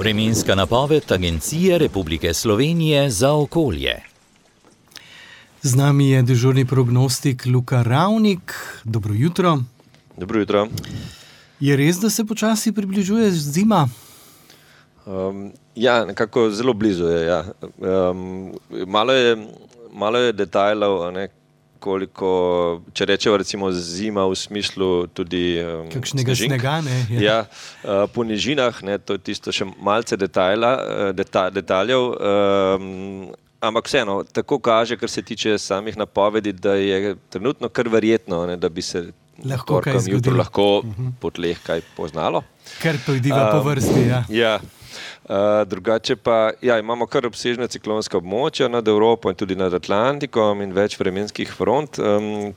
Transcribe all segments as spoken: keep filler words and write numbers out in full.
Vremenska napoved Agencije Republike Slovenije za okolje. Z nami je dežurni prognostik Luka Ravnik. Dobro jutro. Dobro jutro. Je res, da se počasi približuje zima? Um, ja, nekako zelo blizu je. Ja. Um, malo je, malo je detajlov, ne, koliko, če rečemo recimo zima v smislu tudi um, kakšnega snežink. snega, ne? Ja, ja uh, po nižinah, ne, to je tisto še malce detajla, deta, detaljev, um, ampak vseeno, tako kaže, kar se tiče samih napovedi, da je trenutno kar verjetno, ne, da bi se lahko kaj zgodilo. Lahko uh-huh. po tleh kaj poznalo. Kar pojdiva um, po vrsti, ja. Ja. Uh, drugače pa, ja, imamo kar obsežne ciklonska območja nad Evropo in tudi nad Atlantikom in več vremenskih front. Um,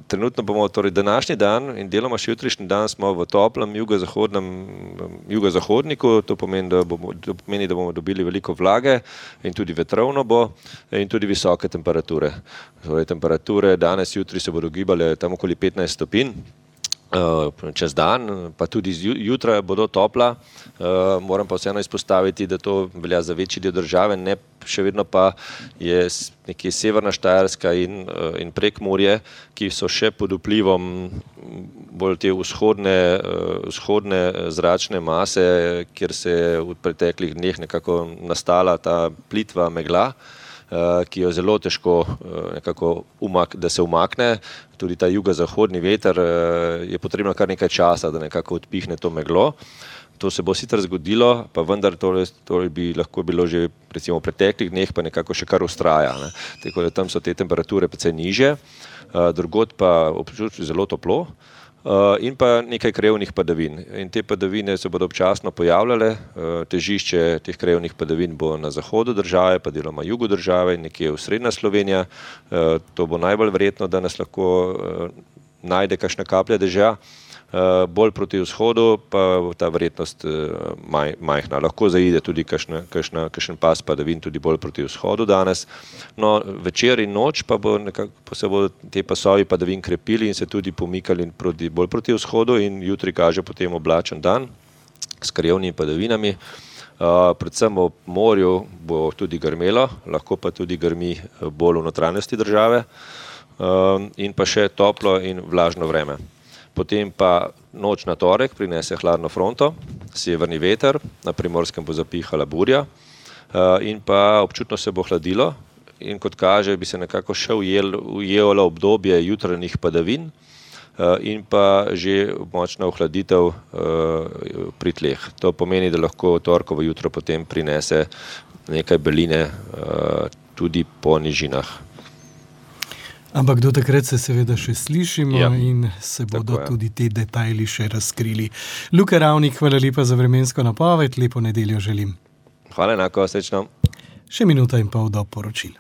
trenutno bomo, torej današnji dan in deloma še jutrišnji dan smo v toplem jugozahodnem jugozahodniku, to pomeni, da bomo, to pomeni, da bomo dobili veliko vlage in tudi vetrovno bo in tudi visoke temperature. Torej, temperature danes, jutri se bodo gibale tam okoli petnajst stopinj. Uh, čez dan, pa tudi jutra bodo topla. Uh, moram pa vseeno izpostaviti, da to velja za večji del države, ne, še vedno pa je nekje severna Štajerska in, uh, in Prekmurje, ki so še pod vplivom bolj te vzhodne, uh, vzhodne zračne mase, kjer se je v preteklih dneh nekako nastala ta plitva megla, Uh, ki jo zelo težko uh, nekako umak, da se umakne. Tudi ta jugozahodni veter uh, je potrebno kar nekaj časa, da nekako odpihne to meglo. To se bo sicer zgodilo, pa vendar to, to bi lahko bilo že recimo v preteklih dneh, pa nekako še kar ustraja. Ne. Tako da tam so te temperature precej nižje, uh, drugod pa občutek zelo toplo. Uh, in pa nekaj krevnih padavin. In te padavine se bodo občasno pojavljale. Uh, težišče teh krevnih padavin bo na zahodu države, pa deloma jugu države in nekje v srednja Slovenija. Uh, to bo najbolj verjetno, da nas lahko uh, najde kakšna kaplja dežja. Uh, bolj proti vzhodu pa ta verjetnost uh, maj, majhna. Lahko zaide tudi kakšna, kakšna, kakšen pas padavin tudi bolj proti vzhodu danes. No, večer in noč pa bo nekako, pa se bodo te pasovi padavin krepili in se tudi pomikali proti, bolj proti vzhodu in jutri kaže potem oblačen dan s krevnimi padavinami. Uh, predvsem v morju bo tudi grmelo, lahko pa tudi grmi bolj v notranjosti države uh, in pa še toplo in vlažno vreme. Potem pa noč na torek prinese hladno fronto, severni veter, na Primorskem bo zapihala burja in pa občutno se bo hladilo in kot kaže bi se nekako še ujelo obdobje jutranjih padavin in pa že močna ohladitev pri tleh. To pomeni, da lahko torkovo jutro potem prinese nekaj beline tudi po nižinah. Ampak do takrat se seveda še slišimo ja, in se bodo tako, ja. tudi te detajli še razkrili. Luka Ravnik, hvala lepa za vremensko napoved, lepo nedeljo želim. Hvala enako, srečno. Še minuta in pol do poročil.